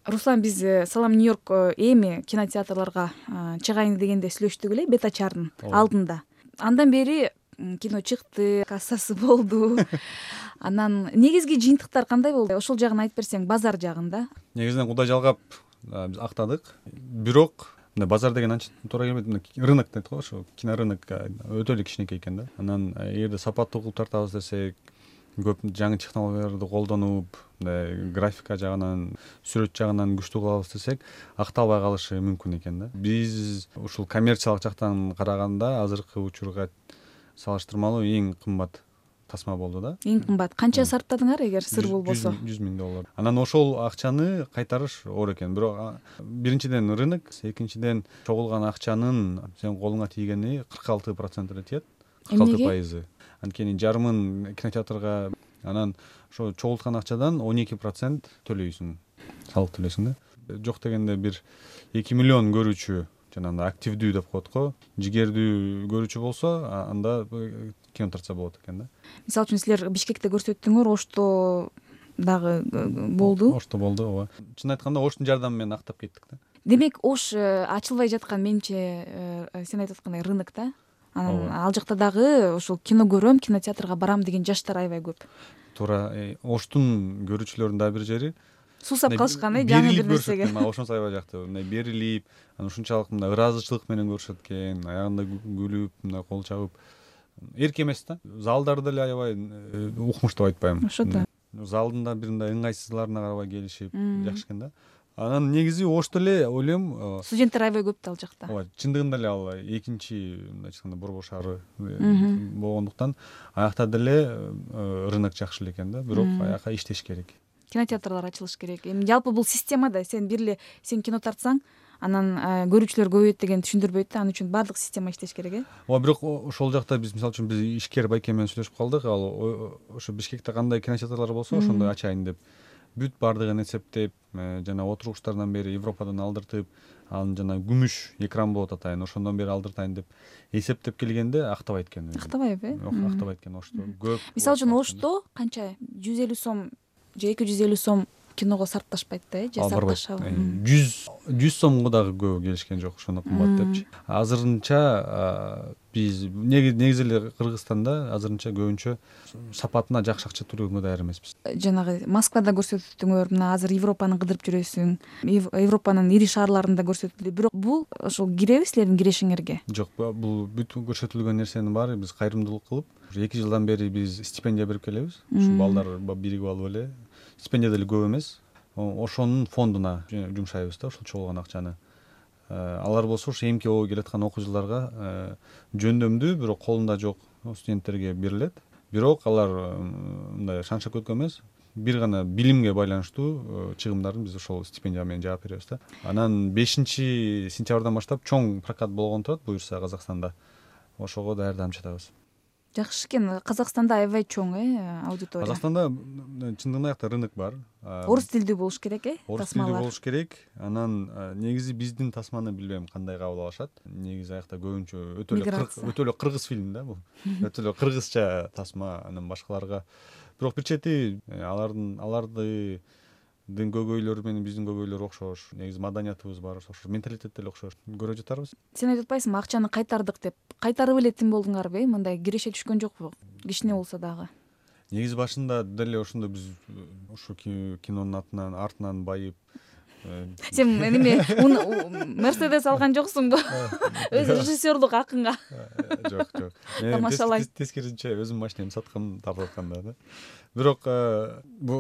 Руслан, биз Салам Нью-Йорк эми кинотеатрларга чыгайын дегенде сүйлөштүк эле бета чардын алдында. Андан бери кино чыкты, кассасы болду. Анан негизги жыйынтыктар кандай болду? Ошол жагын айтып берсең, базар жагында. Негизинен Кудай жалгап биз актадык. Бирок базар деген анча туура келбейт. Рынок дейт го, ошо кинорынок өтө эле кичинекей экен да. Анан эгерде сапаттуу кылып тартабыз десек, көп жаңы технологияларды колдонуп, графика жагынан, сүрөт жагынан күчтүү кылабыз десек, акталбай калышы мүмкүн экен да. Биз ушул коммерциялык жактан караганда азыркы учурга салыштырмалуу эң кымбат тасма болду да. Эң кымбат. Канча сарптадыңар, эгер сыр болбосо? $100,000. Анан ошол акчаны кайтарыш оор экен. Бирок биринчиден рынок, экинчиден чогулган акчанын сенин колуңа тийгени 46% эле тиет. 46%. Анткени жарымын кинотеатрга, анан ошо чогулткан акчадан 12% төлөйсүң, салык төлөйсүң да. Жок дегенде бир 2 миллион көрүүчү, жанагы активдүү деп коет го, жигердүү көрүүчү болсо, анда кино тартса болот экен да. Мисалы үчүн силер Бишкекте көрсөттүңөр, Ошто дагы болду. Ошто болду, ооба. Чын айтканда Оштун жардамы менен актап кеттик да. Демек, Ош ачылбай жаткан, менимче, сен айтып аткандай рынок да. Анан ал жакта дагы ошол кино көрөм, кинотеатрга барам деген жаштар аябай көп. Туура. Оштун көрүүчүлөрүнүн дагы бир жери Суусап калышкан, жаңы бир нерсеге. Ошонусу аябай жакты. Мындай берилип, анан ушунчалык мындай ыраазычылык менен көрүшөт экен, аягында күлүп, мындай кол чабып. Эрк эмес да. Залдар деле аябай укмуш деп айтпайм. Ошо да. Залдын да бир мындай ыңгайсызларына карабай келишип, жакшы экен да. Анан негизи Ошто эле ойлойм, студенттер аябай көп да ал жакта. ооба, чындыгында эле ал экинчи, мындайча айтканда, борбор шаары болгондуктан аякта деле рынок жакшы эле экен да. Бирок аяка иштеш керек. Кинотеатрлар ачылыш керек. Эми жалпы бул система да, сен сен кино тартсаң, анан көрүүчүлөр көбөйөт деген түшүндүрбөйт да. Ал үчүн баардык система иштеш керек, Ооба, бирок ошол жакта биз, мисалы үчүн, биз ишкер байке менен сүйлөшүп калдык. Ал ошо Бишкекте кандай кинотеатрлар болсо, ошондой ачайын деп, бүт баардыгын эсептеп, жана отургучтардан бери Европадан алдыртып, анын жана күмүш экран болот атайын, ошондон бери алдыртайын деп эсептеп келгенде актабайт экен. Актабайбы? Жок, актабайт экен. Ошто көп. Мисалы үчүн Ошто канча 150 сом же 250 сом киного сарпташпайт да, же сарпташабы? 100 сомго дагы көп келишкен жок, ошону кымбат депчи. Азырынча биз негизи эле Кыргызстанда азырынча көбүнчө сапатына жакшы акча төлөгөнгө даяр эмеспиз. Жанагы Москвада көрсөттүңөр, мына азыр Европаны кыдырып жүрөсүң, Европанын ири шаарларында көрсөтүлдү. Бирок бул ошол киреби силердин кирешиңерге? Жок, бул бүт көрсөтүлгөн нерсенин баары биз кайрымдуулук кылып, 2 жылдан бери биз стипендия берип келебиз. Ушу балдар биригип алып эле, стипендия деле көп эмес, ошонун фондуна жумшайбыз да, ошол чогулган акчаны. Алар болсо ошо эмки келаткан окуу жылдарга жөндөмдүү, бирок колунда жок студенттерге берилет. Бирок алар мындай шан-шөкөткө эмес, бир гана билимге байланыштуу чыгымдарын биз ошол стипендия менен жаап беребиз да. Анан 5-сентябрдан баштап чоң прокат болгон турат, буюрса Казакстанда. Ошого даярданып жатабыз. Жакшы экен. Казакстанда аябай чоң аудитория. Казакстанда чындыгында аякта рынок бар. Орус тилдүү болуш керек, Орус тилдүү болуш керек. Анан негизи биздин тасманы билбейм кандай кабыл алышат. Негизи аякта көбүнчө өтө эле кыргыз фильм да бул. Өтө эле кыргызча тасма. Анан башкаларга, бирок бир чети алардын көйгөйлөрү менен биздин көйгөйлөр окшош. Негизи маданиятыбыз бар, ошол менталитет деле окшош. Көрө жатарбыз. Сен айтып атпайсыңбы, акчаны кайтардык деп? Кайтарып эле тим болдуңарбы? Мындай киреше түшкөн жокпу? Кичине болсо дагы. Негизи башында деле ошондо биз ошо кинонун артынан байып. Сен неме Мерседес алган жоксуңбу? Өз режиссерлук акыңга. Жок. Тамашалайм. Тескерисинче өзүм машинемди саткан, тартып атканда да. Бирок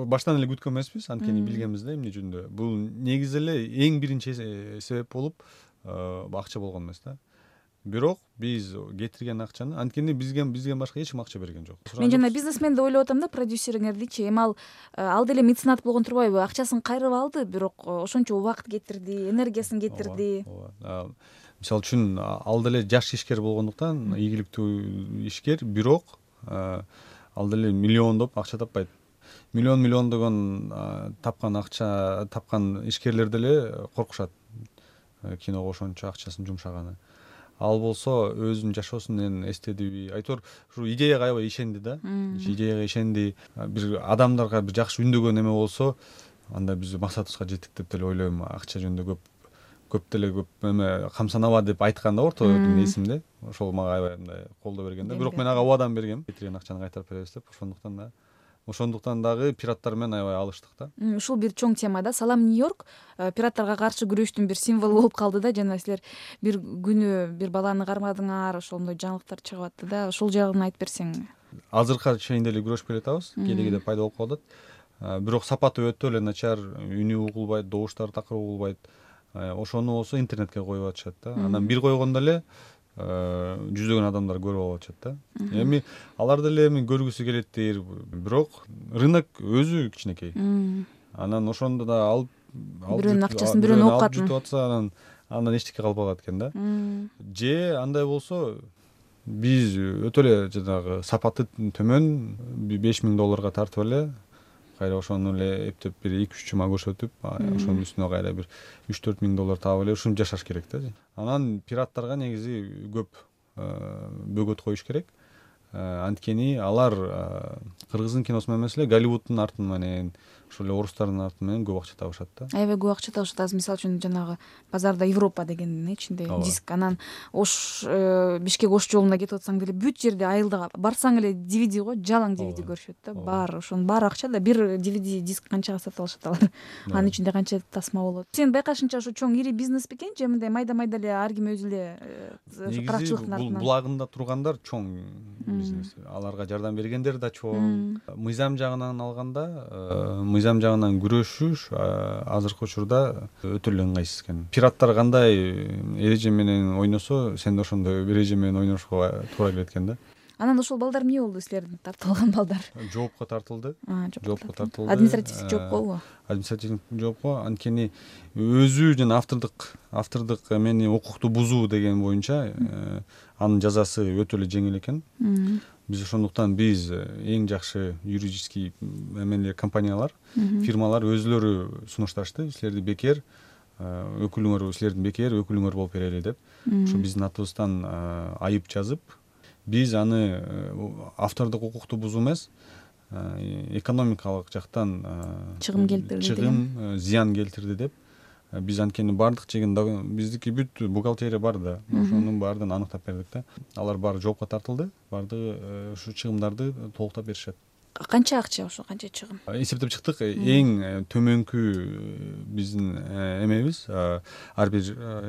баштан эле күткөн эмеспиз, анткени билгенбиз да эмне үчүндө. Бул негизи эле эң биринчи себеп болуп акча болгон эмес да. Бирок биз кетирген акчаны, анткени бизге башка эч ким акча берген жок. Мен жана бизнесмен деп ойлоп атам да, продюсериңердичи. Эми ал деле меценат болгон турбайбы? Акчасын кайрып алды, бирок ошончо убакыт кетирди, энергиясын кетирди. Ооба. Мисалы үчүн ал деле жаш ишкер болгондуктан, ийгиликтүү ишкер, бирок ал деле миллиондоп акча таппайт. Миллиондогон тапкан ишкерлер деле коркушат киного ошончо акчасын жумшаганы. Ал болсо өзүнүн жашоосунан эстедиби, айтор ушу идеяга аябай ишенди да. Идеяга ишенди, бир адамдарга бир жакшы үндөгөн эме болсо, андай биз максатыбызга жеттик деп деле ойлойм. Акча жөнүндө көп эме камсанабаа деп айткан да ортодо эсимде. Ошол мага аябай мындай колдоо берген да. Бирок мен ага убадан бергем. Кетирген акчаны кайтарып беребиз деп. Ошондуктан дагы пираттар менен аябай алыштык да. Ушул бир чоң тема да. Салам Нью-Йорк пираттарга каршы күрөштүн бир символу болуп калды да. Жана силер бир күнү бир баланы кармадыңар, ошондой жаңылыктар чыгып атты да. Ошол жагын айтып берсең. Азыркыга чейин деле күрөшүп келатабыз. Кээде пайда болуп калат. Бирок сапаты өтө эле начар, үнү угулбайт, добуштары такыр угулбайт. Ошону болсо интернетке коюп атышат да. Анан бир койгондо эле жүздөгөн адамдар көрүп алып атышат да. Эми алар деле эми көргүсү келеттир, бирок рынок өзү кичинекей. Анан ошондо да алып бирөөнүн акчасын бирөөнү окуп jutуп атса, андан эчтеке калбагат экен да. Же андай болсо биз өтө эле жанагы сапаты төмөн $5000 тартып эле кайра ошону эле эптеп бир 2-3 жума көрсөтүп, ошонун үстүнө кайра бир $3-4 таап эле ушинтип жашаш керек да. Анан пираттарга негизи көп бөгөт коюш керек. Анткени алар кыргыздын киносу эмес эле Голливуддун арты менен, ошол эле орустардын арты менен көп акча табышат да. Аябай көп акча табышат. Азыр мисалы үчүн жанагы базарда Европа дегендин ичинде диск, анан Бишкек Ош жолуна кетип атсаң деле бүт жерде айылда барсаң эле DVD го, жалаң DVD көрүшөт да. Баары ошонун баары акча да. Бир DVD диск канчага сатып алышат алар? Анын ичинде канча тасма болот? Сен байкашыңча ошо чоң ири бизнес бекен же мындай майда эле ар ким өзү эле каракчылыктын артынан? Булагында тургандар чоң бизнес. Аларга жардам бергендер да чоң. Мыйзам жагынан алганда, мыйзам жагынан күрөшүш азыркы учурда өтө эле ыңгайсыз экен. Пираттар кандай эреже менен ойносо, сен да ошондой эреже менен ойношко туура келет экен да. Анан ошол балдар эмне болду, силердин тартылган балдар? Жоопко тартылды. Административдик жоопкобу? Административдик жоопко. Анткени өзү жана автордук эмени укукту бузуу деген боюнча анын жазасы өтө эле жеңил экен. Биз ошондуктан эң жакшы юридический эмелер, компаниялар, фирмалар өзүлөрү сунушташты. Силерди бекер силердин бекер өкүлүңөр болуп берели деп. Ошо биздин атыбыздан айып жазып, биз аны автордук укукту бузуу эмес, экономикалык жактан чыгым, зыян келтирди деп. Биз анткени бардык жеген биздики бүт бухгалтерия бар да. Ошонун баардыгын аныктап бердик да. Алар баары жоопко тартылды. Бардыгы ушу чыгымдарды толуктап беришет. Канча акча ошо, канча чыгым? Эсептеп чыктык. Эң төмөнкү биздин эмебиз, ар бир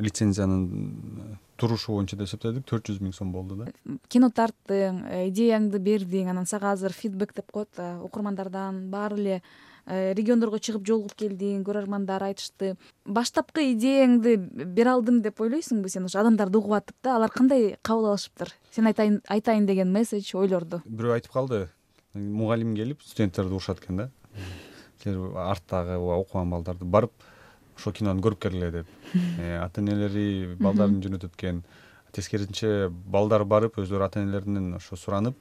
лицензиянын турушу боюнча деп эсептедик, $400,000 болду да. Кино тарттың, идеяңды бердиң, анан сага азыр фидбек деп коет, окурмандардан баары эле региондорго чыгып жолугуп келдиң, көрөрмандар айтышты. Баштапкы идеяңды бере алдым деп ойлойсуңбу сен? Ошо адамдарды угуп атып да, алар кандай кабыл алышыптыр? Сен айтайын деген месседж, ойлорду. Бирөө айтып калды. Мугалим келип студенттерди урушат экен да. Силер арттагы окуган балдарды барып ошол кинону көрүп келгиле деп. Ата-энелери балдарын жөнөтөт экен. Тескерисинче балдар барып өзлөрү ата-энелеринен ошо суранып,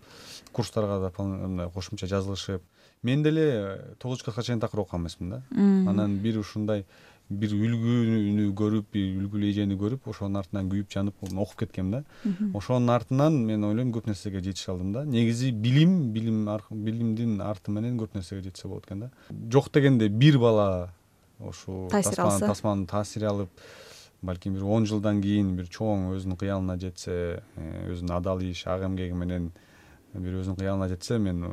курстарга да кошумча жазылышып. Мен деле 9 класска чейин такыр окуган эмесмин да. Анан бир ушундай бир үлгүнү көрүп, бир үлгүлүү эжени көрүп, ошонун артынан күйүп жанып окуп кеткем да. Ошонун артынан мен ойлойм көп нерсеге жетише алдым да. Негизи билимдин арты менен көп нерсеге жетсе болот экен да. Жок дегенде бир бала ошо тасманын таасири алып, балким бир 10 жылдан кийин бир чоң өзүнүн кыялына жетсе, өзүнүн адал иш, ак эмгеги менен бир өзүнүн кыялына жетсе, мен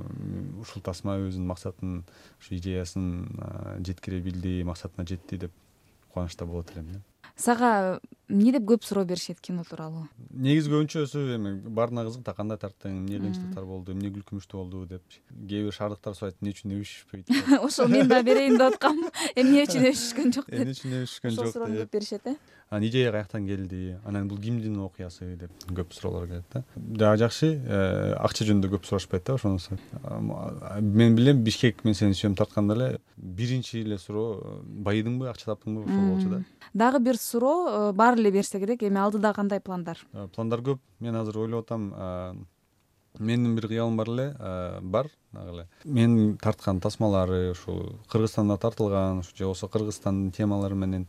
ушул тасма өзүнүн максатын, ушу идеясын жеткире билди, максатына жетти деп кубанычта болот элем да. Сага эмне деп көп суроо беришет кино тууралуу? Негизи көбүнчөсү эми баарына кызык да, кандай тарттың, эмне кыйынчылыктар болду, эмне күлкүмүштүү болду деп. Кээ бир шаардыктар сурайт, эмне үчүн өбүшпөйт. Ошол мен да берейин деп аткам. Эмне үчүн өбүшкөн жок деп. Эмне үчүн өбүшкөн жок деп. Ошол суроону көп беришет, Анан идея каяктан келди, анан бул кимдин окуясы деп көп суроолор келет да. Дагы жакшы, акча жөнүндө көп сурашпайт да ошонусу. Мен билем, Бишкек мен сени сүйөм тартканда эле биринчи эле суроо байыдыңбы, акча таптыңбы, ошол болчу да. Дагы бир суроо, баары эле берсе керек, эми алдыда кандай пландар? Пландар көп. Мен азыр ойлоп атам, менин бир кыялым бар эле, дагы эле. Мен тарткан тасмалары ушул Кыргызстанда тартылган, же болбосо Кыргызстандын темалары менен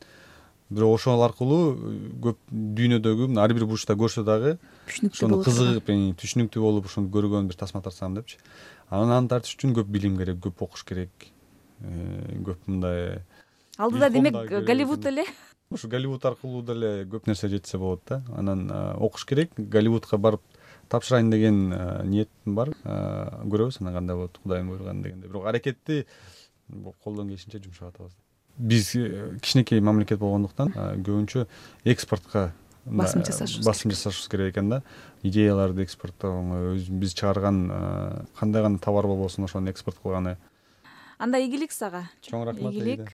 бирок ошол аркылуу көп дүйнөдөгү ар бир бурчта көрсө дагы ошону кызыгып, түшүнүктүү болуп ошону көргөн бир тасма тартсам депчи. Анан аны тартыш үчүн көп билим керек, көп окуш керек. көп мындай алдыда демек илхом да Голливуд эле. ушу Голливуд аркылуу деле көп нерсе жетсе болот да. Анан окуш керек, Голливудка барып тапшырайын деген ниетим бар. Көрөбүз анан кандай болот, Кудайдын буйруганы дегенде. Бирок аракетти колдон келишинче жумшап атабыз. Биз кичинекей мамлекет болгондуктан көбүнчө экспортко Басым жасашыбыз керек экен да. Идеяларды экспорттоо, биз чыгарган кандай гана товар болбосун ошону экспорт кылганы. Анда ийгилик сага. Чоң рахмат. Ийгилик.